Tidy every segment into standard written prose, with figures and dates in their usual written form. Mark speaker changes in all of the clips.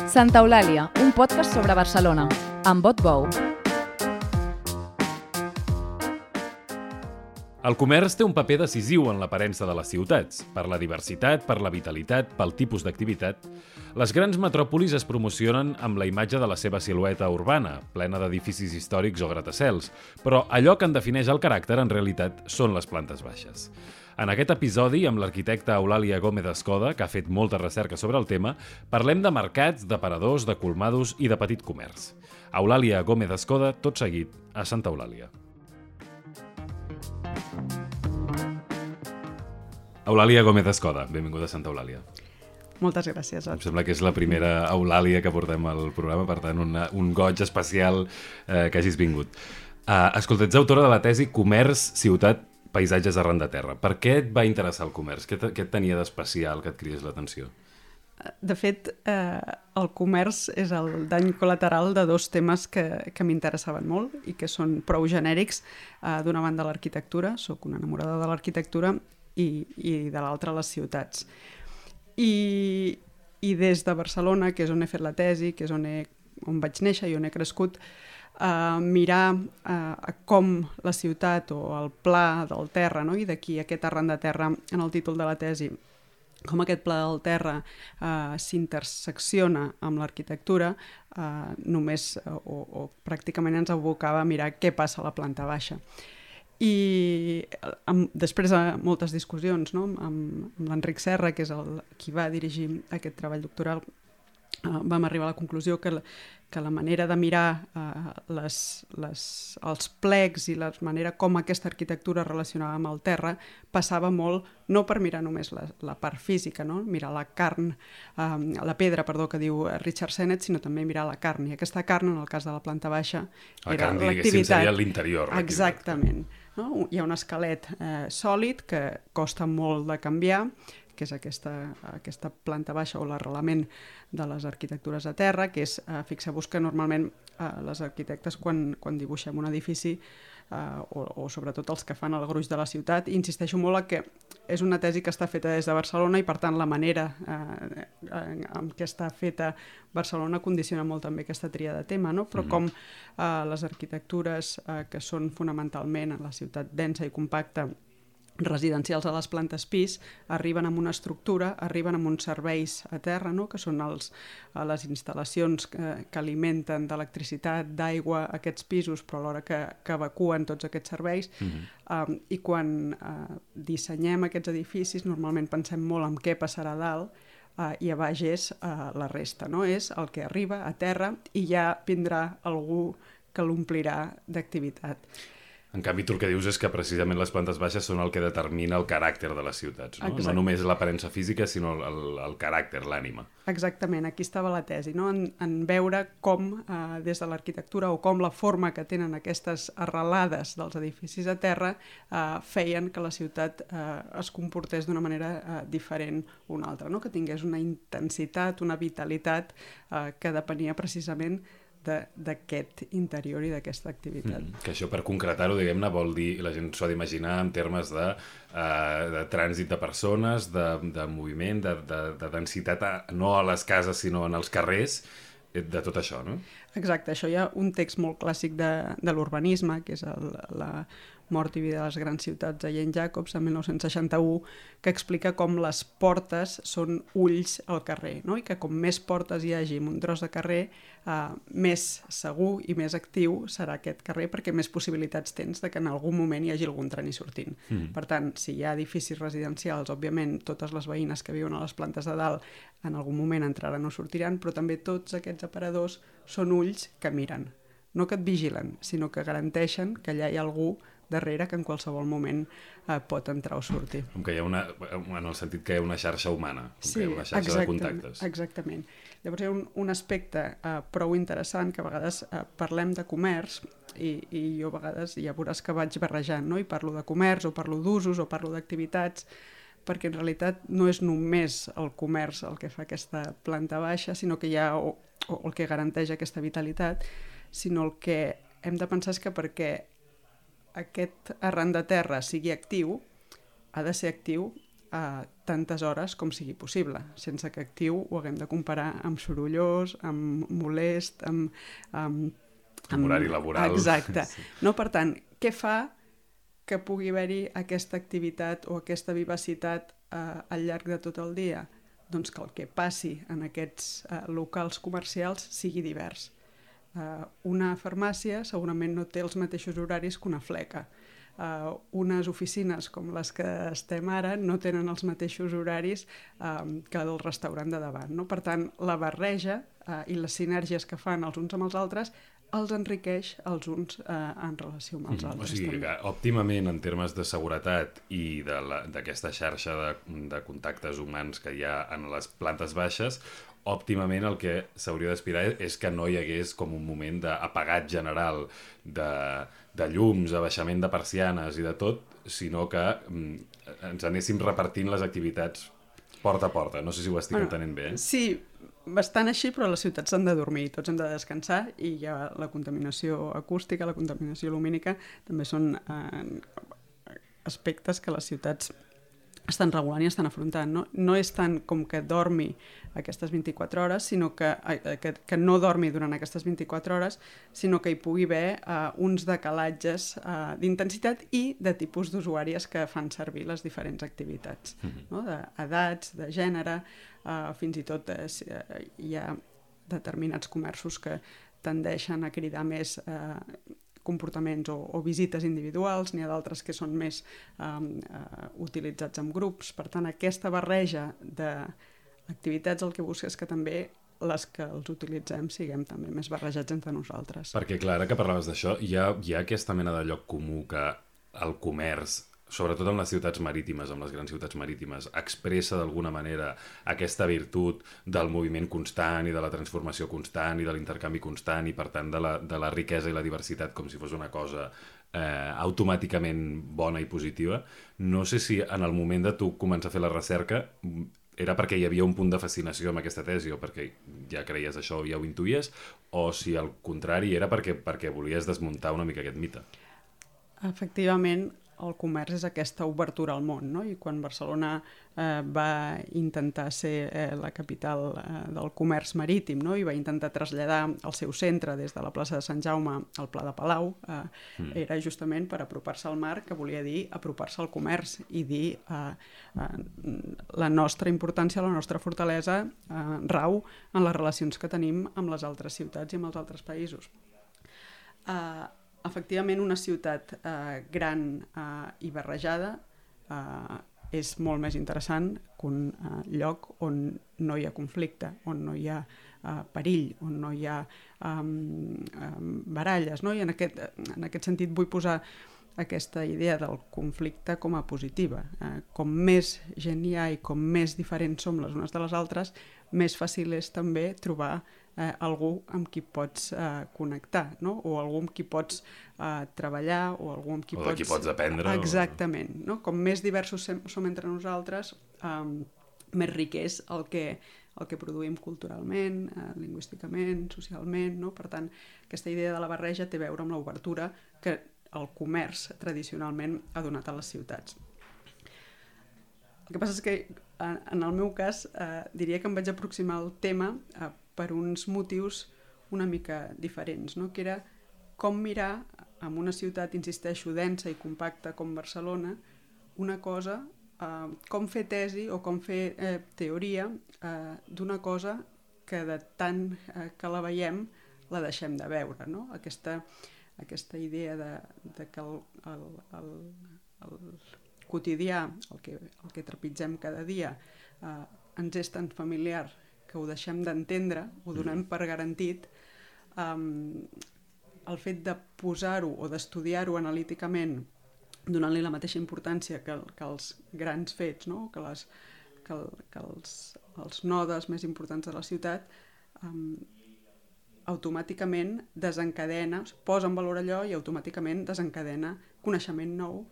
Speaker 1: Santa Eulàlia, un podcast sobre Barcelona, amb Bot Bou.
Speaker 2: El comerç té un paper decisiu en l'aparença de les ciutats, per la diversitat, per la vitalitat, pel tipus d'activitat. Les grans metròpolis es promocionen amb la imatge de la seva silueta urbana, plena d'edificis històrics o gratacels, però allò que en defineix el caràcter, en realitat, són les plantes baixes. En aquest episodi, amb l'arquitecta Eulàlia Gómez Escoda, que ha fet molta recerca sobre el tema, parlem de mercats, d'aparadors, de colmados i de petit comerç. Eulàlia Gómez Escoda, tot seguit, a Santa Eulàlia. Eulàlia Gómez Escoda, benvinguda a Santa Eulàlia.
Speaker 3: Moltes gràcies.
Speaker 2: Em sembla que és la primera Eulàlia que portem al programa, per tant, un goig especial que hagis vingut. Escolta, ets autora de la tesi Comerç, ciutat, paisatges arran de terra. Per què et va interessar el comerç? Què et tenia d'especial que et cridés l'atenció?
Speaker 3: De fet, el comerç és el dany col·lateral de dos temes que m'interessaven molt i que són prou genèrics. D'una banda, l'arquitectura, sóc una enamorada de l'arquitectura, i de l'altra, les ciutats. I des de Barcelona, que és on he fet la tesi, que és on vaig néixer i on he crescut, mirar com la ciutat o el pla del terra, no? I d'aquí aquest arran de terra en el títol de la tesi, com aquest pla del terra s'intersecciona amb l'arquitectura, només o pràcticament ens abocava a mirar què passa a la planta baixa. I després de moltes discussions, no? amb l'Enric Serra, que és qui va dirigir aquest treball doctoral, vam arribar a la conclusió que la manera de mirar els plecs i la manera com aquesta arquitectura es relacionava amb el terra passava molt, no per mirar només la part física, no? Mirar la pedra, que diu Richard Sennett, sinó també mirar la carn. I aquesta carn, en el cas de la planta baixa, era l'activitat. La carn, diguéssim,
Speaker 2: seria l'interior.
Speaker 3: Exactament. No? Hi ha un esquelet sòlid que costa molt de canviar, que és aquesta planta baixa o l'arrelament de les arquitectures a terra, que és, fixeu-vos que normalment les arquitectes quan dibuixem un edifici, o sobretot els que fan el gruix de la ciutat, insisteixo molt que és una tesi que està feta des de Barcelona i per tant la manera en què està feta Barcelona condiciona molt també aquesta tria de tema, no? Però com les arquitectures que són fonamentalment en la ciutat densa i compacta residencials a les plantes pis, arriben amb una estructura, arriben amb uns serveis a terra, no? Que són les instal·lacions que alimenten d'electricitat, d'aigua aquests pisos, però alhora que evacuen tots aquests serveis. I quan dissenyem aquests edificis, normalment pensem molt en què passarà a dalt, i a baix és la resta, no? És el que arriba a terra i ja vindrà algú que l'omplirà d'activitat.
Speaker 2: En canvi, tu el que dius és que precisament les plantes baixes són el que determina el caràcter de les ciutats, no? No només l'aparença física, sinó el caràcter, l'ànima.
Speaker 3: Exactament, aquí estava la tesi, no? En veure com des de l'arquitectura o com la forma que tenen aquestes arrelades dels edificis a terra feien que la ciutat es comportés d'una manera diferent una altra, no? Que tingués una intensitat, una vitalitat que depenia precisament d'aquest interior i d'aquesta activitat.
Speaker 2: Que això, per concretar-ho, diguem-ne, vol dir, la gent s'ho ha d'imaginar en termes de trànsit de persones, de moviment, de densitat, no a les cases, sinó en els carrers, de tot això, no?
Speaker 3: Exacte, això hi ha un text molt clàssic de l'urbanisme, que és la Mort i vida de les grans ciutats de Jane Jacobs, en 1961, que explica com les portes són ulls al carrer, no? I que com més portes hi hagi en un tros de carrer, més segur i més actiu serà aquest carrer, perquè més possibilitats tens de que en algun moment hi hagi algun tren i sortint. Per tant, si hi ha edificis residencials, òbviament totes les veïnes que viuen a les plantes de dalt en algun moment entraran o sortiran, però també tots aquests aparadors són ulls que miren, no que et vigilen, sinó que garanteixen que allà hi ha algú darrere que en qualsevol moment pot entrar o sortir.
Speaker 2: Com que hi ha en el sentit que hi ha una xarxa humana, que hi ha una xarxa de contactes.
Speaker 3: Exactament. Llavors hi ha un aspecte prou interessant, que a vegades parlem de comerç i jo a vegades ja veuràs que vaig barrejant, no? I parlo de comerç o parlo d'usos o parlo d'activitats, perquè en realitat no és només el comerç el que fa aquesta planta baixa, sinó que hi ha o el que garanteix aquesta vitalitat, sinó el que hem de pensar és que perquè aquest arran de terra sigui actiu, ha de ser actiu tantes hores com sigui possible, sense que actiu ho haguem de comparar amb sorollós, amb molest, amb
Speaker 2: horari laboral.
Speaker 3: Exacte.
Speaker 2: Sí.
Speaker 3: No, per tant, què fa que pugui haver-hi aquesta activitat o aquesta vivacitat al llarg de tot el dia? Doncs que el que passi en aquests locals comercials sigui divers. Una farmàcia segurament no té els mateixos horaris que una fleca. Unes oficines com les que estem ara no tenen els mateixos horaris que el restaurant de davant. No? Per tant, la barreja i les sinergies que fan els uns amb els altres els enriqueix els uns en relació amb els altres.
Speaker 2: O sigui, que, òptimament, en termes de seguretat i d'aquesta xarxa de contactes humans que hi ha en les plantes baixes, òptimament el que s'hauria d'aspirar és que no hi hagués com un moment d'apagat general de llums, abaixament de persianes i de tot, sinó que ens anéssim repartint les activitats porta a porta. No sé si ho estic entenent bé.
Speaker 3: Sí, bastant així, però les ciutats s'han de dormir, tots hem de descansar i ja la contaminació acústica, la contaminació lumínica també són aspectes que les ciutats estan regulant i estan afrontant. No és tant com que dormi aquestes 24 hores, sinó que no dormi durant aquestes 24 hores, sinó que hi pugui haver uns decalatges d'intensitat i de tipus d'usuàries que fan servir les diferents activitats, no? D'edats, de gènere, fins i tot hi ha determinats comerços que tendeixen a cridar més comportaments o visites individuals, n'hi ha d'altres que són més utilitzats en grups. Per tant, aquesta barreja d'activitats el que busca és que també les que els utilitzem siguem també més barrejats entre nosaltres.
Speaker 2: Perquè, clar, ara que parlaves d'això, hi ha aquesta mena de lloc comú que el comerç, sobretot en les ciutats marítimes, en les grans ciutats marítimes, expressa d'alguna manera aquesta virtut del moviment constant i de la transformació constant i de l'intercanvi constant i, per tant, de la riquesa i la diversitat com si fos una cosa automàticament bona i positiva. No sé si en el moment de tu començar a fer la recerca era perquè hi havia un punt de fascinació amb aquesta tesi o perquè ja creies això o ja ho intuïes, o si al contrari era perquè volies desmuntar una mica aquest mite.
Speaker 3: Efectivament, el comerç és aquesta obertura al món, no? I quan Barcelona va intentar ser la capital del comerç marítim, no? I va intentar traslladar el seu centre des de la plaça de Sant Jaume al Pla de Palau, era justament per apropar-se al mar, que volia dir apropar-se al comerç i dir la nostra importància, la nostra fortalesa rau en les relacions que tenim amb les altres ciutats i amb els altres països. Efectivament, una ciutat gran i barrejada és molt més interessant que un lloc on no hi ha conflicte, on no hi ha perill, on no hi ha baralles, no? I en aquest sentit vull posar aquesta idea del conflicte com a positiva. Com més gent hi ha i com més diferents som les unes de les altres, més fàcil és també trobar algú amb qui pots connectar, no? O algú amb qui pots treballar, o algú amb qui
Speaker 2: o de qui pots aprendre.
Speaker 3: Exactament. No? Com més diversos som entre nosaltres, més ric és el que produïm culturalment, lingüísticament, socialment, no? Per tant, aquesta idea de la barreja té a veure amb l'obertura que el comerç tradicionalment ha donat a les ciutats. El que passa és que, en el meu cas, diria que em vaig aproximar al tema per uns motius una mica diferents, no? Que era com mirar en una ciutat, insisteixo, densa i compacta com Barcelona, una cosa, com fer tesi o com fer teoria d'una cosa que de tant que la veiem la deixem de veure, no? Aquesta idea de que el quotidià, el que trepitgem cada dia, ens és tan familiar que ho deixem d'entendre, ho donem per garantit, el fet de posar-ho o d'estudiar-ho analíticament, donant-li la mateixa importància que els grans fets, no? que els nodes més importants de la ciutat, automàticament desencadena, posa en valor allò i automàticament desencadena coneixement nou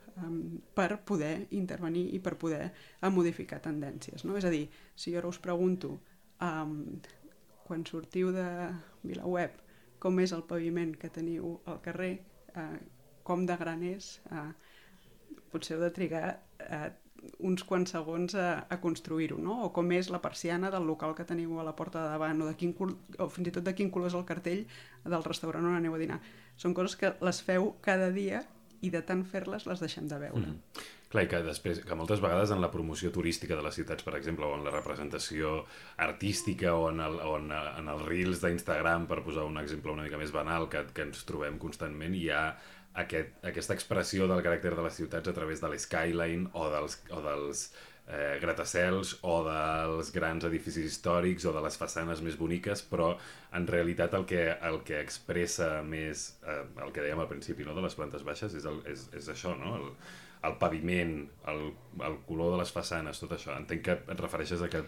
Speaker 3: per poder intervenir i per poder modificar tendències. No? És a dir, si jo ara us pregunto quan sortiu de VilaWeb com és el paviment que teniu al carrer, com de gran és, potser heu de trigar uns quants segons a construir-ho, no? O com és la persiana del local que teniu a la porta de davant, o fins i tot de quin color és el cartell del restaurant on aneu a dinar. Són coses que les feu cada dia i de tant fer-les les deixem de veure.
Speaker 2: Clar, i que moltes vegades en la promoció turística de les ciutats, per exemple, o en la representació artística o en els reels d'Instagram, per posar un exemple una mica més banal que ens trobem constantment, hi ha aquesta expressió del caràcter de les ciutats a través de l'skyline o dels gratacels o dels grans edificis històrics o de les façanes més boniques, però en realitat el que expressa més el que dèiem al principi, no?, de les plantes baixes és això, no?, el paviment, el color de les façanes, tot això. Entenc que et refereixes a que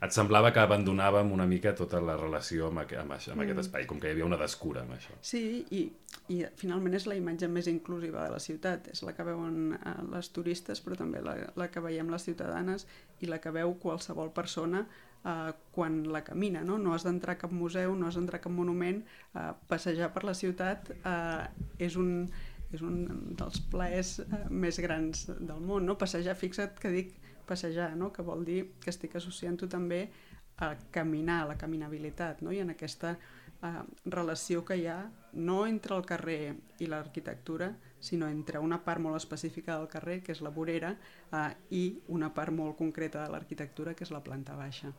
Speaker 2: et semblava que abandonàvem una mica tota la relació amb aquest espai, com que hi havia una descura amb això.
Speaker 3: Sí, i finalment és la imatge més inclusiva de la ciutat, és la que veuen les turistes, però també la que veiem les ciutadanes i la que veu qualsevol persona quan la camina, no? No has d'entrar a cap museu, no has d'entrar a cap monument, passejar per la ciutat és un dels plaers més grans del món, no? Passejar, fixa't que dic passejar, no? Que vol dir que estic associant-ho també a caminar, a la caminabilitat, no? I en aquesta relació que hi ha no entre el carrer i l'arquitectura, sinó entre una part molt específica del carrer, que és la vorera, i una part molt concreta de l'arquitectura, que és la planta baixa.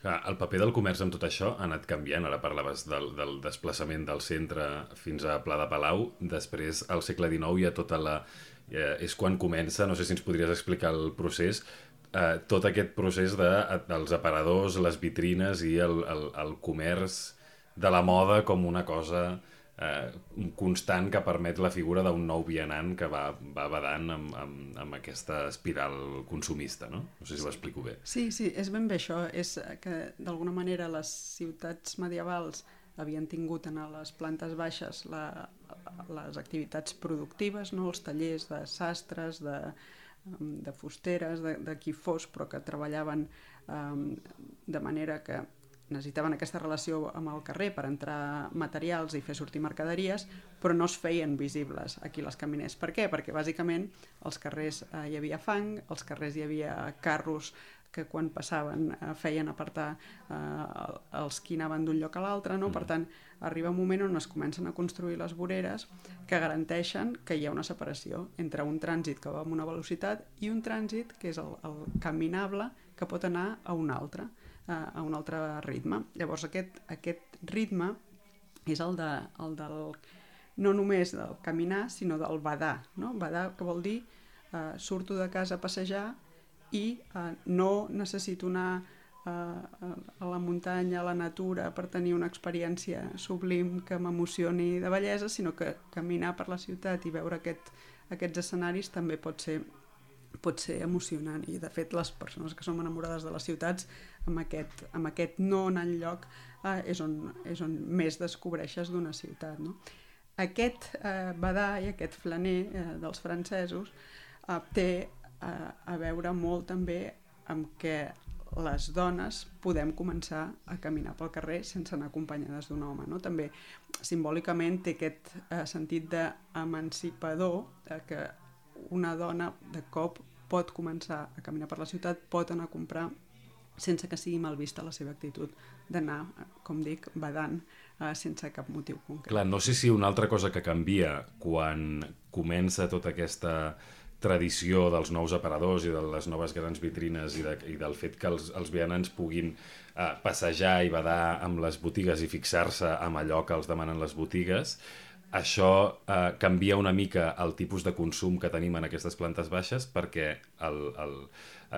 Speaker 2: El paper del comerç amb tot això ha anat canviant. Ara parlaves del desplaçament del centre fins a Pla de Palau. Després, al segle XIX, hi ha tota és quan comença, no sé si ens podries explicar el procés, tot aquest procés dels aparadors, les vitrines i el comerç de la moda com una cosa constant que permet la figura d'un nou vianant que va badant amb aquesta espiral consumista, no? No sé si ho explico bé.
Speaker 3: Sí, és ben bé això. És que d'alguna manera les ciutats medievals havien tingut en les plantes baixes les activitats productives, no? Els tallers de sastres, de fusteres, de qui fos, però que treballaven de manera que necessitaven aquesta relació amb el carrer per entrar materials i fer sortir mercaderies, però no es feien visibles aquí les caminers. Per què? Perquè bàsicament als carrers hi havia fang, als carrers hi havia carros que quan passaven feien apartar els qui anaven d'un lloc a l'altre, no? Per tant, arriba un moment on es comencen a construir les voreres que garanteixen que hi ha una separació entre un trànsit que va amb una velocitat i un trànsit que és el caminable que pot anar a un altre ritme. Llavors aquest ritme és el del no només del caminar, sinó del badar, no? Badar, que vol dir surto de casa a passejar i no necessito anar a la muntanya, a la natura, per tenir una experiència sublim que m'emocioni de bellesa, sinó que caminar per la ciutat i veure aquests escenaris també pot ser emocionant. I de fet les persones que som enamorades de les ciutats amb aquest no anar enlloc és on més descobreixes d'una ciutat, no? Aquest badar i aquest flaner dels francesos té a veure molt també amb que les dones podem començar a caminar pel carrer sense anar acompanyades d'un home, no? També simbòlicament té aquest sentit d'emancipador, que una dona de cop pot començar a caminar per la ciutat, pot anar a comprar sense que sigui mal vista la seva actitud d'anar, com dic, badant sense cap motiu concret.
Speaker 2: Clar, no sé si una altra cosa que canvia quan comença tota aquesta tradició dels nous aparadors i de les noves grans vitrines i del fet que els vianants puguin passejar i badar amb les botigues i fixar-se amb allò que els demanen les botigues, això canvia una mica el tipus de consum que tenim en aquestes plantes baixes perquè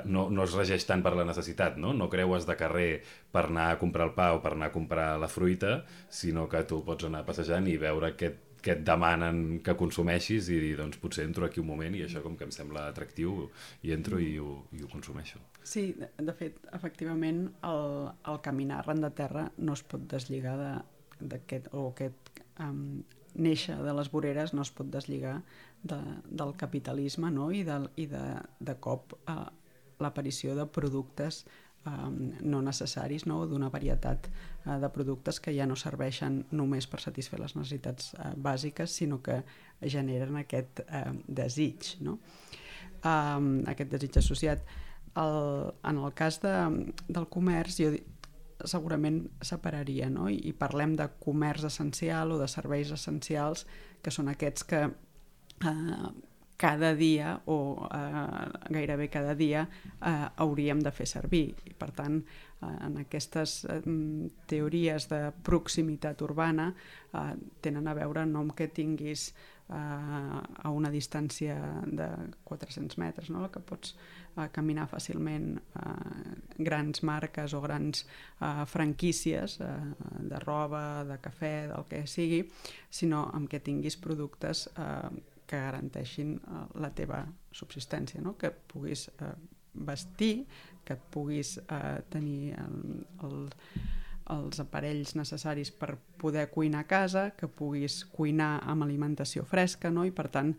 Speaker 2: no es regeix tant per la necessitat, no? No creues de carrer per anar a comprar el pa o per anar a comprar la fruita, sinó que tu pots anar passejant i veure que et demanen que consumeixis i dir, doncs potser entro aquí un moment i això com que em sembla atractiu i entro i ho consumeixo.
Speaker 3: Sí, de fet, efectivament, el caminar arran de terra no es pot deslligar d'aquest néixer de les voreres no es pot deslligar del capitalisme, no? I de cop l'aparició de productes no necessaris, no? D'una varietat de productes que ja no serveixen només per satisfer les necessitats bàsiques, sinó que generen aquest desig, no? aquest desig associat. En el cas del comerç, jo segurament separaria, no? I parlem de comerç essencial o de serveis essencials, que són aquests que cada dia o gairebé cada dia hauríem de fer servir. I per tant, en aquestes teories de proximitat urbana tenen a veure no amb que tinguis a una distància de 400 metres, no? Que pots caminar fàcilment grans marques o grans franquícies de roba, de cafè, del que sigui, sinó amb que tinguis productes que garanteixin la teva subsistència, no? Que et puguis vestir, que et puguis tenir els aparells necessaris per poder cuinar a casa, que puguis cuinar amb alimentació fresca, no? I per tant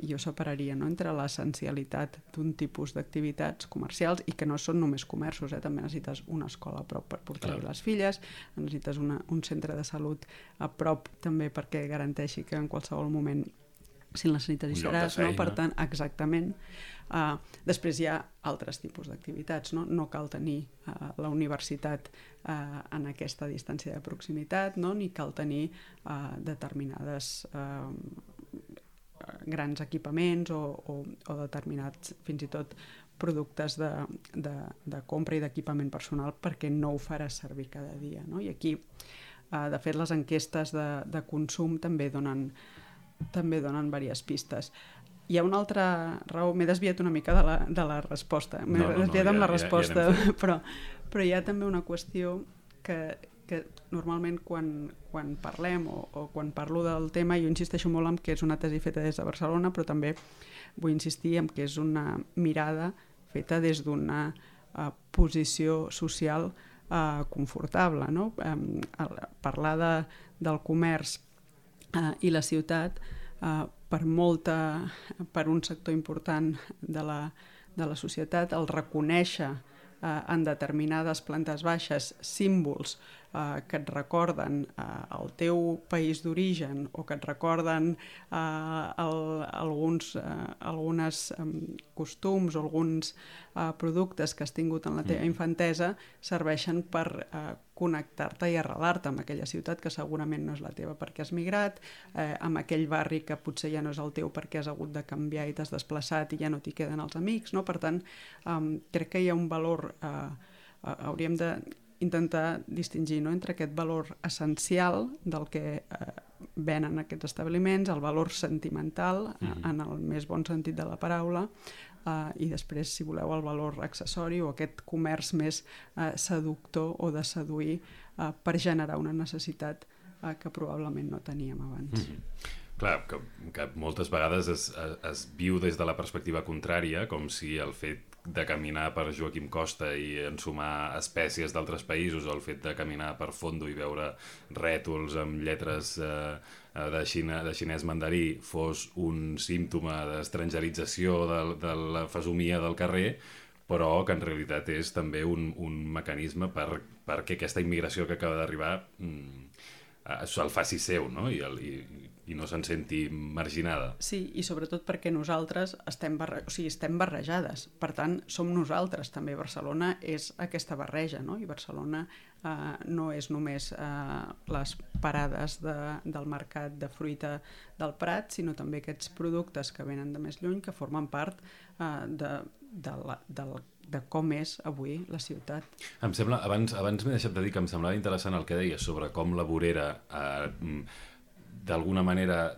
Speaker 3: jo separaria, no? Entre l'essencialitat d'un tipus d'activitats comercials i que no són només comerços, també necessites una escola a prop per portar-hi les filles, necessites un centre de salut a prop també perquè garanteixi que en qualsevol moment si el necessites hi seràs, no? Per tant, exactament. Després hi ha altres tipus d'activitats, no? No cal tenir la universitat en aquesta distància de proximitat, no? Ni cal tenir determinades grans equipaments o determinats, fins i tot, productes de compra i d'equipament personal perquè no ho faràs servir cada dia, no? I aquí, de fet, les enquestes de consum també donen diverses pistes. Hi ha una altra raó, m'he desviat una mica de la resposta, m'he desviat amb la resposta, però hi ha també una qüestió que normalment quan parlem o quan parlo del tema, jo insisteixo molt en que és una tesi feta des de Barcelona, però també vull insistir en que és una mirada feta des d'una posició social confortable, no? Parlar del comerç i la ciutat per un sector important de la societat, el reconèixer en determinades plantes baixes símbols que et recorden el teu país d'origen o que et recorden alguns costums o alguns productes que has tingut en la teva infantesa, serveixen per connectar-te i arrelar-te amb aquella ciutat que segurament no és la teva perquè has migrat, amb aquell barri que potser ja no és el teu perquè has hagut de canviar i t'has desplaçat i ja no t'hi queden els amics, no? Per tant, crec que hi ha un valor, hauríem d'intentar distingir, no? Entre aquest valor essencial del que venen aquests establiments, el valor sentimental, en el més bon sentit de la paraula, i després, si voleu, el valor accessori o aquest comerç més seductor o de seduir per generar una necessitat que probablement no teníem abans.
Speaker 2: Clar, que moltes vegades es viu des de la perspectiva contrària, com si el fet de caminar per Joaquim Costa i ensumar espècies d'altres països o el fet de caminar per Fondo i veure rètols amb lletres de xinès mandarí fos un símptoma d'estrangerització de la fesomia del carrer, però que en realitat és també un mecanisme perquè aquesta immigració que acaba d'arribar se'l faci seu, no? I no se'n senti marginada.
Speaker 3: Sí, i sobretot perquè nosaltres estem barrejades. Per tant, som nosaltres també. Barcelona és aquesta barreja, no? I Barcelona no és només les parades del mercat de fruita del Prat, sinó també aquests productes que venen de més lluny, que formen part de com és avui la ciutat.
Speaker 2: Em sembla, abans m'he deixat de dir que em semblava interessant el que deies sobre com la vorera d'alguna manera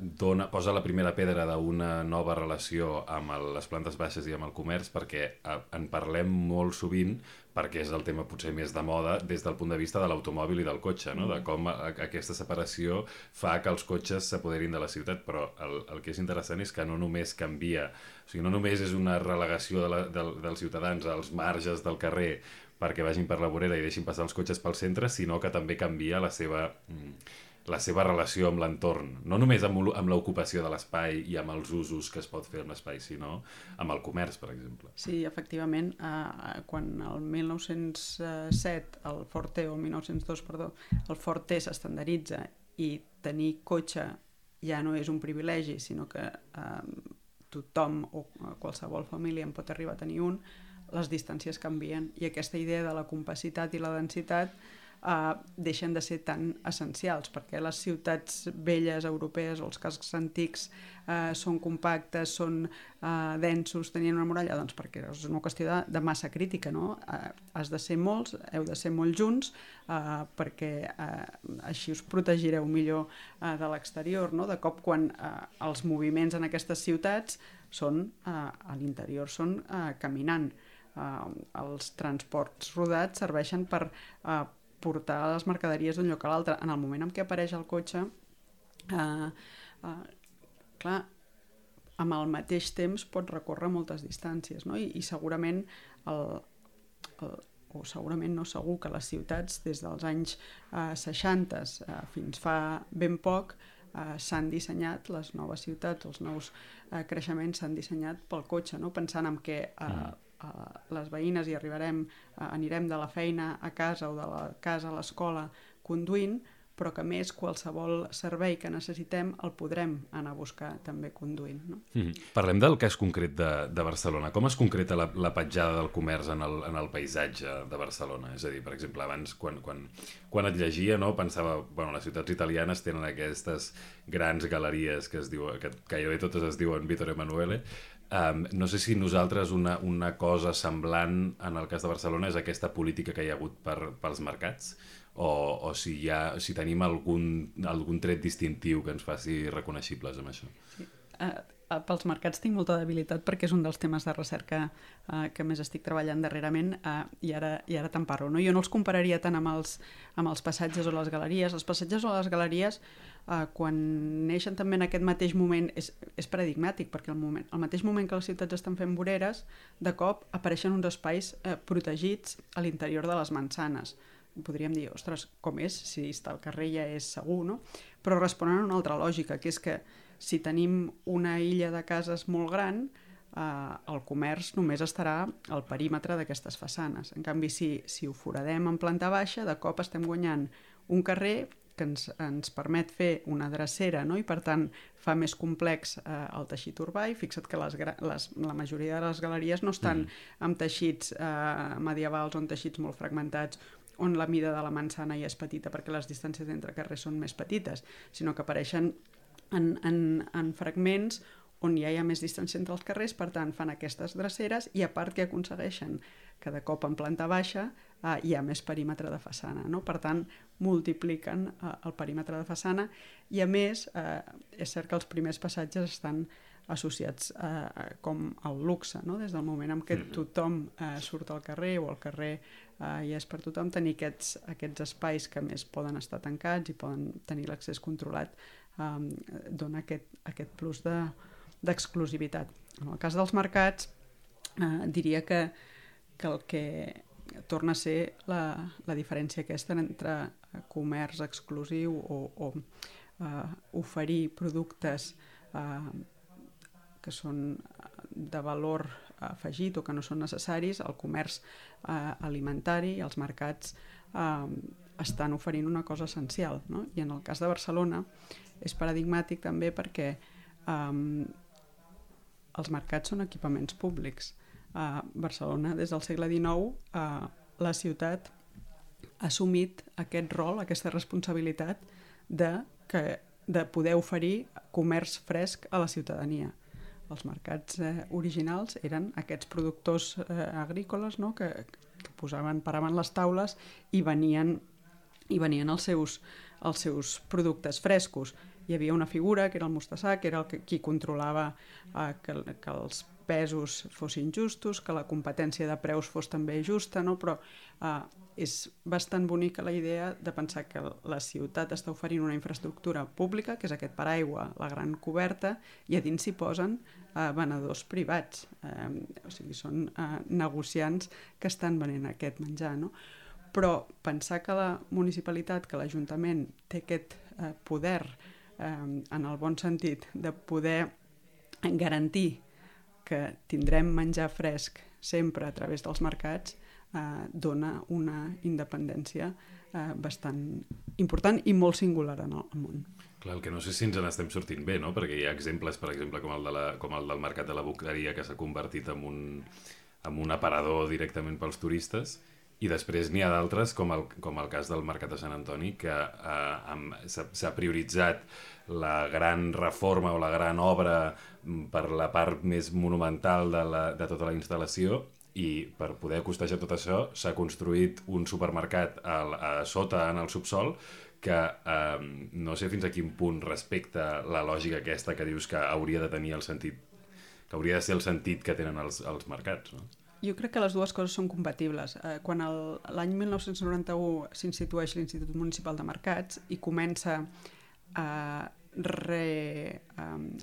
Speaker 2: posa la primera pedra d'una nova relació amb les plantes baixes i amb el comerç, perquè en parlem molt sovint, perquè és el tema potser més de moda des del punt de vista de l'automòbil i del cotxe, no? De com aquesta separació fa que els cotxes s'apoderin de la ciutat, però el que és interessant és que no només canvia, o sigui, no només és una relegació dels ciutadans als marges del carrer perquè vagin per la vorera i deixin passar els cotxes pel centre, sinó que també canvia la seva relació amb l'entorn, no només amb l'ocupació de l'espai i amb els usos que es pot fer amb l'espai, sinó amb el comerç, per exemple.
Speaker 3: Sí, efectivament, quan el 1907, el Ford T, o el 1902, perdó, el Ford T s'estandarditza i tenir cotxe ja no és un privilegi, sinó que tothom o qualsevol família en pot arribar a tenir un, les distàncies canvien i aquesta idea de la compacitat i la densitat deixen de ser tan essencials, perquè les ciutats velles europees o els cascs antics són compactes, són densos, tenien una muralla, doncs perquè és una qüestió de massa crítica, no? Has de ser molts, heu de ser molt junts, perquè així us protegireu millor de l'exterior, no? De cop, quan els moviments en aquestes ciutats són a l'interior, són caminant. Els transports rodats serveixen per portar les mercaderies d'un lloc a l'altre. En el moment en què apareix el cotxe, clar, amb el mateix temps pot recórrer moltes distàncies, no? I segurament, o segurament no segur, que les ciutats des dels anys 60 fins fa ben poc s'han dissenyat, les noves ciutats, els nous creixements s'han dissenyat pel cotxe, no? Pensant en què les veïnes hi anirem de la feina a casa o de la casa a l'escola conduint, però que més qualsevol servei que necessitem el podrem anar a buscar també conduint, no?
Speaker 2: Parlem del cas concret de Barcelona. Com es concreta la petjada del comerç en el paisatge de Barcelona? És a dir, per exemple, abans quan et llegia, no, pensava, bueno, les ciutats italianes tenen aquestes grans galeries que gairebé totes es diuen Vittorio Emanuele. No sé si nosaltres una cosa semblant en el cas de Barcelona és aquesta política que hi ha hagut pels mercats, o si tenim algun tret distintiu que ens faci reconeixibles amb això.
Speaker 3: Sí. Pels mercats tinc molta debilitat perquè és un dels temes de recerca que més estic treballant darrerament, i ara te'n parlo, no? Jo no els compararia tant amb els passatges o les galeries. Els passatges o les galeries, quan neixen també en aquest mateix moment, és paradigmàtic, perquè al mateix moment que les ciutats estan fent voreres, de cop apareixen uns espais protegits a l'interior de les mansanes. Podríem dir, ostres, com és? Si està al carrer ja és segur, no? Però responen a una altra lògica, que és que si tenim una illa de cases molt gran, el comerç només estarà al perímetre d'aquestes façanes. En canvi, si ho foradem en planta baixa, de cop estem guanyant un carrer que ens permet fer una drecera, no? I per tant fa més complex el teixit urbà, i fixa't que la majoria de les galeries no estan amb teixits medievals o en teixits molt fragmentats, on la mida de la manzana ja és petita perquè les distàncies entre carrers són més petites, sinó que apareixen en fragments on ja hi ha més distància entre els carrers, per tant fan aquestes dreceres, i a part que aconsegueixen que de cop en planta baixa hi ha més perímetre de façana, no? Per tant multipliquen el perímetre de façana, i a més és cert que els primers passatges estan associats com al luxe, no? Des del moment en què tothom surt al carrer, o el carrer ja és per tothom, tenir aquests espais que més poden estar tancats i poden tenir l'accés controlat, dona aquest plus d'exclusivitat. En el cas dels mercats, diria que el que torna a ser la diferència aquesta entre comerç exclusiu o oferir productes que són de valor afegit o que no són necessaris. El comerç alimentari i els mercats estan oferint una cosa essencial, no? I en el cas de Barcelona és paradigmàtic també perquè els mercats són equipaments públics. Barcelona, des del segle XIX, la ciutat ha assumit aquest rol, aquesta responsabilitat de poder oferir comerç fresc a la ciutadania. Els mercats originals eren aquests productors agrícoles, no? que paraven les taules i venien els seus productes frescos. Hi havia una figura, que era el mostassà, que era qui controlava que els pesos fossin justos, que la competència de preus fos també justa, no? Però és bastant bonica la idea de pensar que la ciutat està oferint una infraestructura pública, que és aquest paraigua, la gran coberta, i a dins s'hi posen venedors privats, o sigui, són negociants que estan venent aquest menjar, no? Però pensar que la municipalitat, que l'Ajuntament té aquest poder, en el bon sentit, de poder garantir que tindrem menjar fresc sempre a través dels mercats, dona una independència bastant important i molt singular en el món.
Speaker 2: Clar, el que no sé si ens n'estem sortint bé, no? Perquè hi ha exemples, per exemple, com el del mercat de la Boqueria, que s'ha convertit en un aparador directament pels turistes, i després n'hi ha d'altres, com el cas del Mercat de Sant Antoni, que s'ha prioritzat la gran reforma o la gran obra per la part més monumental de tota la instal·lació, i per poder costejar tot això s'ha construït un supermercat a sota en el subsol que no sé fins a quin punt respecta la lògica aquesta que dius que hauria de tenir el sentit, que hauria de ser el sentit que tenen els mercats, no?
Speaker 3: Jo crec que les dues coses són compatibles. Quan l'any 1991 s'institueix l'Institut Municipal de Mercats i comença a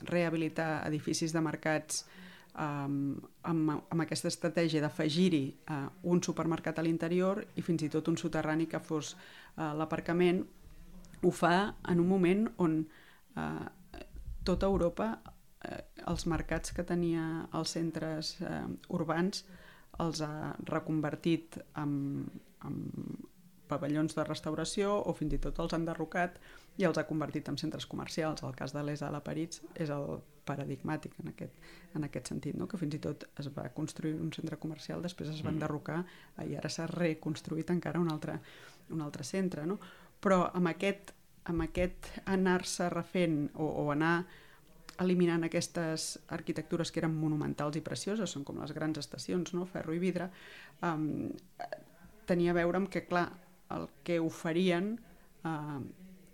Speaker 3: rehabilitar edificis de mercats amb aquesta estratègia d'afegir-hi un supermercat a l'interior i fins i tot un soterrani que fos l'aparcament, ho fa en un moment on tota Europa els mercats que tenia als centres urbans els ha reconvertit en pavellons de restauració o fins i tot els han derrocat i els ha convertit en centres comercials. El cas de Les Halles a París és el paradigmàtic en aquest sentit, no? Que fins i tot es va construir un centre comercial, després es van derrocar i ara s'ha reconstruït encara un altre centre, no? Però amb aquest anar-se refent o anar eliminant aquestes arquitectures que eren monumentals i precioses, són com les grans estacions, no? Ferro i vidre, tenia a veure amb que, clar, el que oferien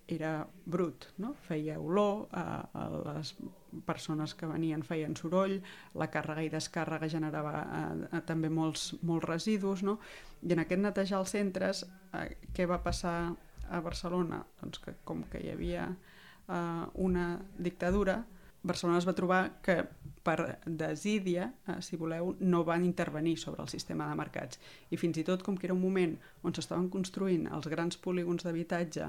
Speaker 3: era brut, no? Feia olor, les persones que venien feien soroll, la càrrega i descàrrega generava també molts residus, no? I en aquest netejar els centres, què va passar a Barcelona? Doncs que com que hi havia una dictadura, Barcelona es va trobar que per desídia, si voleu, no van intervenir sobre el sistema de mercats. I fins i tot, com que era un moment on s'estaven construint els grans polígons d'habitatge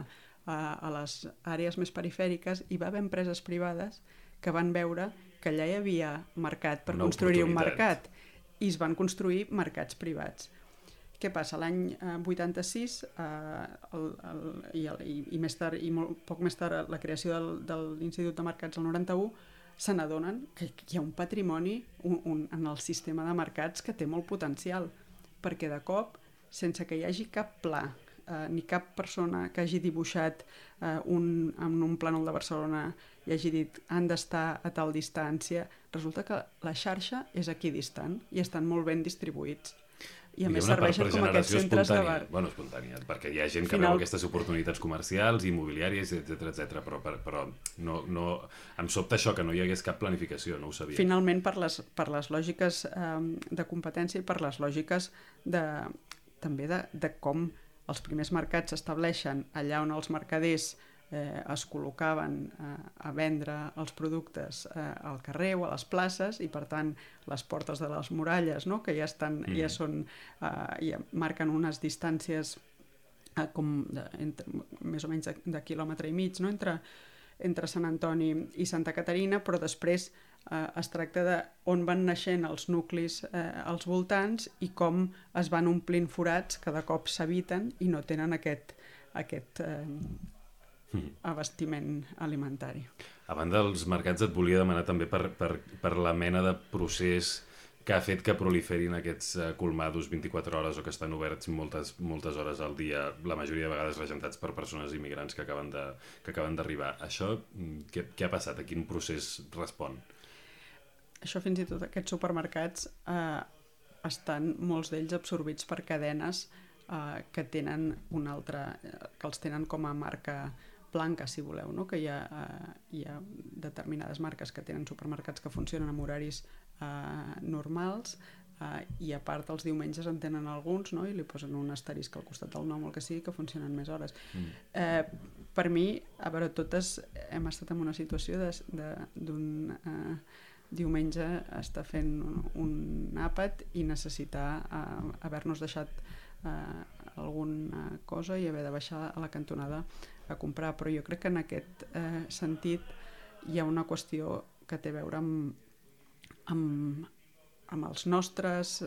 Speaker 3: a les àrees més perifèriques, hi va haver empreses privades que van veure que allà hi havia mercat per construir un mercat i es van construir mercats privats. Què passa? L'any 86 i més tard, i poc més tard, la creació de l'Institut de Mercats el 91, se n'adonen que hi ha un patrimoni en el sistema de mercats que té molt potencial, perquè de cop, sense que hi hagi cap pla, ni cap persona que hagi dibuixat en un plànol de Barcelona i hagi dit han d'estar a tal distància, resulta que la xarxa és equidistant i estan molt ben distribuïts. I a més serveixen com aquests centres de bar.
Speaker 2: Bueno, espontània, perquè hi ha gent que veu aquestes oportunitats comercials, immobiliàries, etc. Però no, em sobta això, que no hi hagués cap planificació, no ho sabia.
Speaker 3: Finalment, per les lògiques de competència i per les lògiques també de com els primers mercats s'estableixen allà on els mercaders es col·locaven a vendre els productes al carrer o a les places i per tant les portes de les muralles, no? Que ja marquen unes distàncies més o menys de quilòmetre i mig, no? entre Sant Antoni i Santa Caterina, però després es tracta de on van naixent els nuclis als voltants i com es van omplint forats que de cop s'habiten i no tenen aquest abastiment alimentari.
Speaker 2: A banda dels mercats et volia demanar també per la mena de procés que ha fet que proliferin aquests colmados 24 hores o que estan oberts moltes hores al dia, la majoria de vegades regentats per persones immigrants que acaben d'arribar. Això, què ha passat? A quin procés respon?
Speaker 3: Això fins i tot aquests supermercats estan molts d'ells absorbits per cadenes que tenen que els tenen com a marca blanca, si voleu, no? Que hi ha determinades marques que tenen supermercats que funcionen amb horaris normals i a part els diumenges en tenen alguns, no? I li posen un asterisc al costat del nom o el que sigui que funcionen més hores. Per mi, a veure, totes hem estat en una situació d'un diumenge estar fent un àpat i necessitar haver-nos deixat alguna cosa i haver de baixar a la cantonada a comprar, però jo crec que en aquest sentit hi ha una qüestió que té a veure amb amb els nostres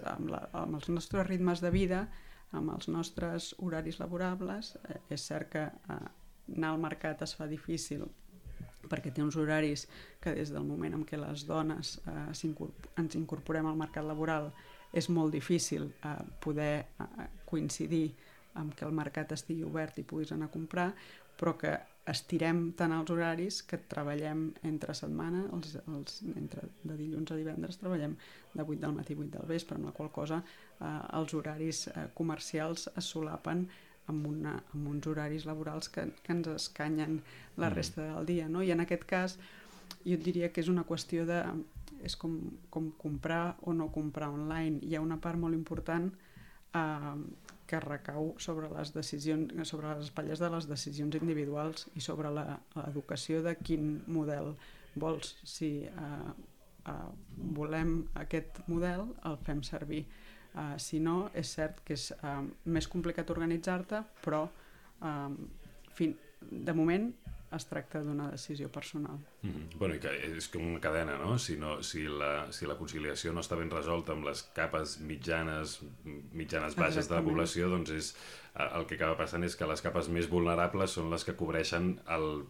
Speaker 3: ritmes de vida, amb els nostres horaris laborables. És cert que anar al mercat es fa difícil perquè té uns horaris que des del moment en què les dones ens incorporem al mercat laboral és molt difícil poder coincidir amb que el mercat estigui obert i puguis anar a comprar, però que estirem tant els horaris que treballem entre setmana, de dilluns a divendres treballem de 8 del matí a 8 del vespre, amb la qual cosa els horaris comercials es solapen amb uns horaris laborals que ens escanyen la resta del dia, no? I en aquest cas jo et diria que és una qüestió de... és com comprar o no comprar online. Hi ha una part molt important que recau sobre les decisions, sobre les espatlles de les decisions individuals i sobre l'educació de quin model vols. Si volem aquest model, el fem servir. Si no, és cert que és més complicat organitzar-te, però de moment es tracta d'una decisió personal.
Speaker 2: Bueno, i que és com una cadena, no? Si la conciliació no està ben resolta amb les capes mitjanes baixes de la població, doncs el que acaba passant és que les capes més vulnerables són les que cobreixen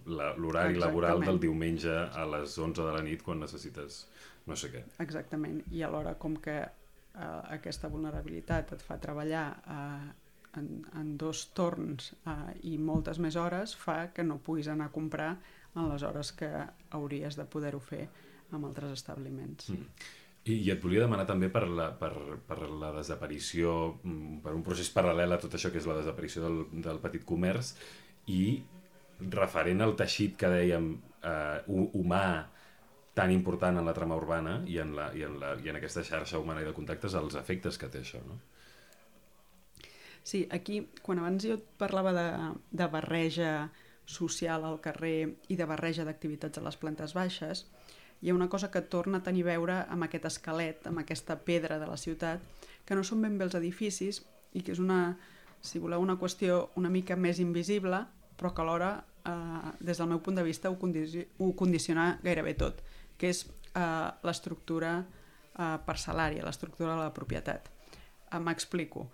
Speaker 2: l'horari laboral del diumenge a les 11 de la nit quan necessites no sé què.
Speaker 3: Exactament, i alhora com que aquesta vulnerabilitat et fa treballar en 2 torns i moltes més hores, fa que no puguis anar a comprar en les hores que hauries de poder-ho fer amb altres establiments.
Speaker 2: I et volia demanar també per la desaparició, per un procés paral·lel a tot això que és la desaparició del petit comerç i referent al teixit que dèiem humà tan important en la trama urbana i en aquesta xarxa humana i de contactes, els efectes que té això, no?
Speaker 3: Sí, aquí, quan abans jo parlava de barreja social al carrer i de barreja d'activitats a les plantes baixes, hi ha una cosa que torna a tenir a veure amb aquest esquelet, amb aquesta pedra de la ciutat, que no són ben bé els edificis i que és si voleu, una qüestió una mica més invisible, però que alhora, des del meu punt de vista, ho condiciona gairebé tot, que és l'estructura parcel·lària, l'estructura de la propietat. M'explico.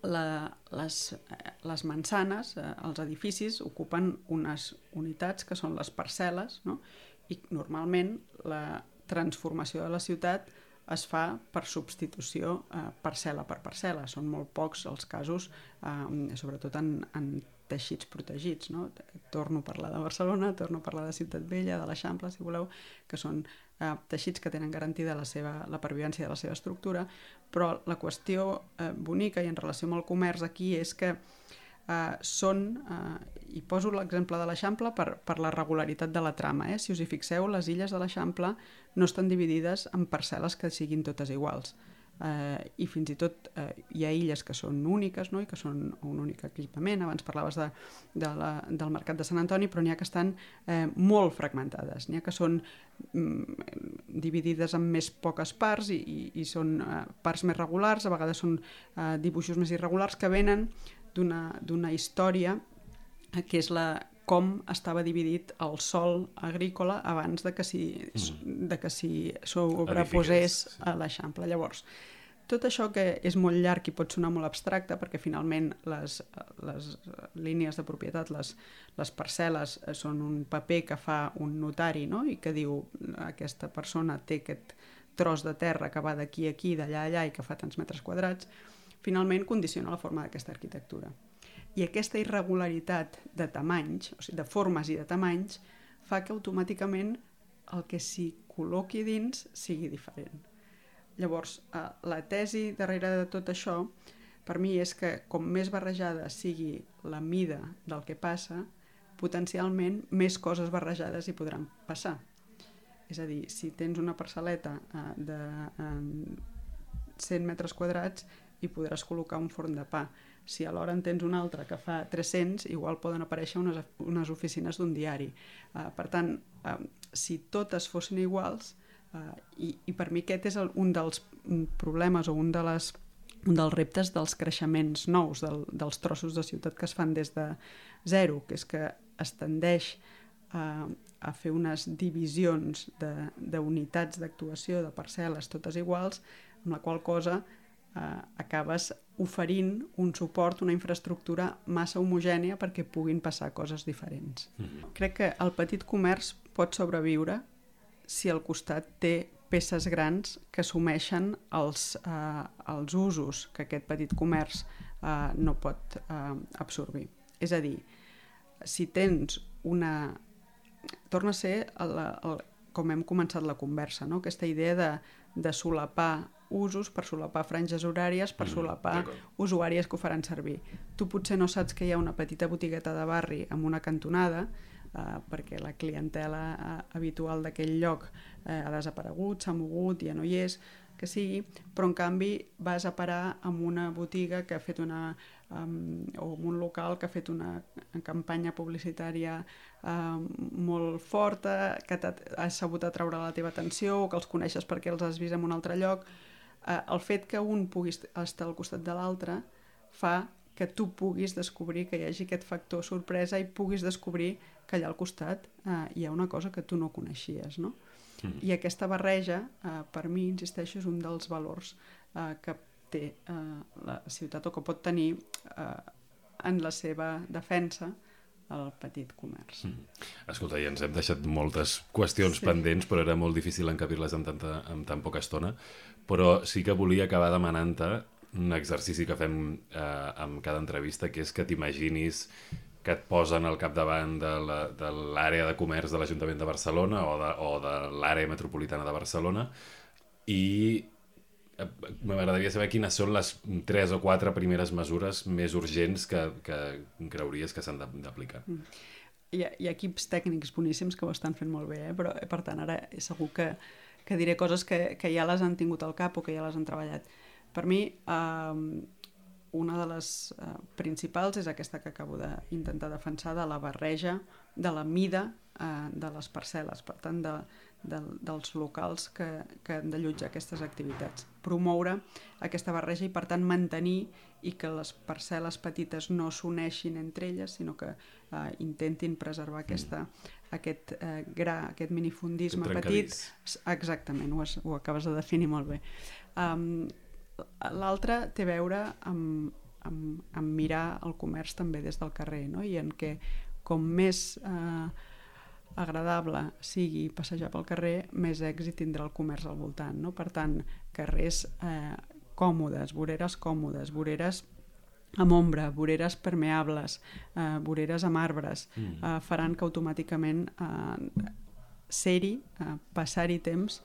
Speaker 3: Les mansanes, els edificis, ocupen unes unitats que són les parcel·les, no? I normalment la transformació de la ciutat es fa per substitució parcel·la per parcel·la. Són molt pocs els casos, sobretot en teixits protegits, no? Torno a parlar de Barcelona, torno a parlar de Ciutat Vella, de l'Eixample, si voleu, que són teixits que tenen garantida la pervivència de la seva estructura, però la qüestió bonica i en relació amb el comerç aquí és que i poso l'exemple de l'Eixample per la regularitat de la trama. Si us hi fixeu, les illes de l'Eixample no estan dividides en parcel·les que siguin totes iguals. I fins i tot hi ha illes que són úniques, no? I que són un únic equipament. Abans parlaves del mercat de Sant Antoni, però n'hi ha que estan molt fragmentades. N'hi ha que són dividides en més poques parts i són parts més regulars, a vegades són dibuixos més irregulars que venen d'una història que és com estava dividit el sòl agrícola abans de que s'hi sobreposés a l'Eixample. Llavors, tot això que és molt llarg i pot sonar molt abstracte, perquè finalment les línies de propietat, les parcel·les, són un paper que fa un notari, no? I que diu aquesta persona té aquest tros de terra que va d'aquí a aquí, d'allà a allà i que fa tants metres quadrats, finalment condiciona la forma d'aquesta arquitectura. I aquesta irregularitat de tamanys, o sigui, de formes i de tamanys, fa que automàticament el que s'hi col·loqui dins sigui diferent. Llavors, la tesi darrere de tot això, per mi, és que com més barrejada sigui la mida del que passa, potencialment més coses barrejades hi podran passar. És a dir, si tens una parcel·leta de 100 metres quadrats, hi podràs col·locar un forn de pa. Si alhora en tens un altre que fa 300, igual poden aparèixer unes oficines d'un diari. Per tant, si totes fossin iguals, i per mi aquest és un dels problemes o un dels reptes dels creixements nous, dels trossos de ciutat que es fan des de zero, que és que es tendeix a fer unes divisions d'unitats d'actuació, de parcel·les totes iguals, amb la qual cosa acabes oferint un suport, una infraestructura massa homogènia perquè puguin passar coses diferents. Crec que el petit comerç pot sobreviure si al costat té peces grans que assumeixen els usos que aquest petit comerç no pot absorbir. És a dir, si tens una... Torna a ser, com hem començat la conversa, no? Aquesta idea de solapar usos, per solapar franges horàries, per solapar usuàries que ho faran servir. Tu potser no saps que hi ha una petita botigueta de barri amb una cantonada, perquè la clientela habitual d'aquell lloc ha desaparegut, s'ha mogut, ja no hi és, que sigui, però en canvi vas a parar amb una botiga que ha fet o un local que ha fet una campanya publicitària molt forta, que has sabut atraure la teva atenció o que els coneixes perquè els has vist en un altre lloc. El fet que un pugui estar al costat de l'altre fa que tu puguis descobrir, que hi hagi aquest factor sorpresa i puguis descobrir que allà al costat hi ha una cosa que tu no coneixies, no? I aquesta barreja, per mi, insisteixo, és un dels valors que té la ciutat o que pot tenir en la seva defensa el petit comerç.
Speaker 2: Escolta, ja ens hem deixat moltes qüestions pendents, però era molt difícil encabir-les en tan poca estona, però sí que volia acabar demanant-te un exercici que fem amb cada entrevista, que és que t'imaginis que et posen al capdavant de l'àrea de comerç de l'Ajuntament de Barcelona o de l'àrea metropolitana de Barcelona, i m'agradaria saber quines són les 3 o 4 primeres mesures més urgents que creuries que s'han d'aplicar.
Speaker 3: Hi ha equips tècnics boníssims que ho estan fent molt bé, però per tant ara segur que diré coses que ja les han tingut al cap o que ja les han treballat. Per mi, una de les principals és aquesta que acabo d'intentar defensar, de la barreja, de la mida de les parcel·les, per tant, dels locals que han d'allotjar aquestes activitats. Promoure aquesta barreja i, per tant, mantenir i que les parcel·les petites no s'uneixin entre elles, sinó que intentin preservar aquest gra, aquest minifundisme petit. Exactament, ho acabes de definir molt bé. L'altre té a veure amb mirar el comerç també des del carrer, no? I en què com més agradable sigui passejar pel carrer, més èxit tindrà el comerç al voltant, no? Per tant, carrers còmodes, voreres amb ombra, voreres permeables, voreres amb arbres, faran que automàticament ser-hi, passar-hi temps,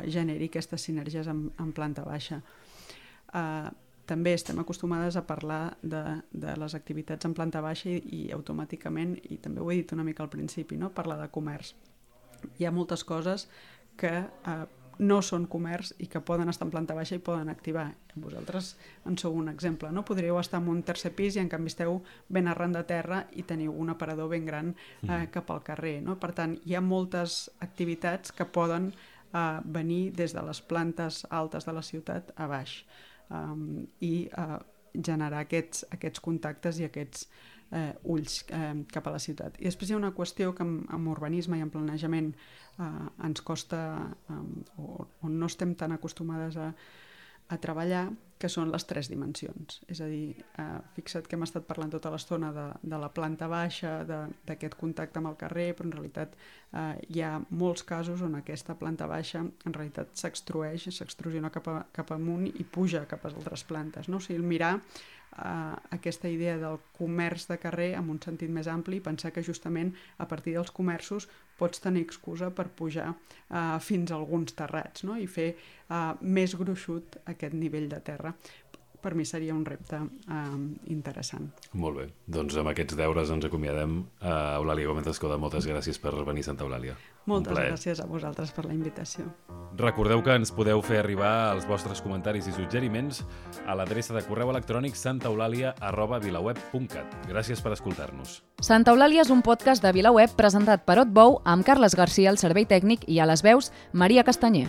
Speaker 3: generi aquestes sinergies en planta baixa. També estem acostumades a parlar de les activitats en planta baixa i automàticament, i també ho he dit una mica al principi, no? Parlar de comerç. Hi ha moltes coses que no són comerç i que poden estar en planta baixa i poden activar. Vosaltres en sou un exemple, no? Podríeu estar en un tercer pis i en canvi esteu ben arran de terra i teniu un aparador ben gran cap al carrer, no? Per tant, hi ha moltes activitats que poden venir des de les plantes altes de la ciutat a baix i generar aquests contactes i aquests ulls cap a la ciutat. I després hi ha una qüestió que amb urbanisme i en planejament ens costa o no estem tan acostumades a treballar, que són les 3 dimensions. És a dir, fixa't que hem estat parlant tota l'estona de la planta baixa, d'aquest contacte amb el carrer, però en realitat hi ha molts casos on aquesta planta baixa en realitat s'extrusiona cap amunt i puja cap a altres plantes, no? O sigui, mirar aquesta idea del comerç de carrer en un sentit més ampli i pensar que justament a partir dels comerços pots tenir excusa per pujar fins a alguns terrats, no? I fer més gruixut aquest nivell de terra. Per mi seria un repte interessant.
Speaker 2: Molt bé. Doncs amb aquests deures ens acomiadem. Eulàlia Gómez Escoda, moltes gràcies per venir a Santa Eulàlia.
Speaker 3: Moltes gràcies a vosaltres per la invitació.
Speaker 2: Recordeu que ens podeu fer arribar els vostres comentaris i suggeriments a l'adreça de correu electrònic santaeulàlia@vilaweb.cat. Gràcies per escoltar-nos.
Speaker 1: Santa Eulàlia és un podcast de VilaWeb presentat per Otbou amb Carles Garcia al servei tècnic i a les veus Maria Castanyer.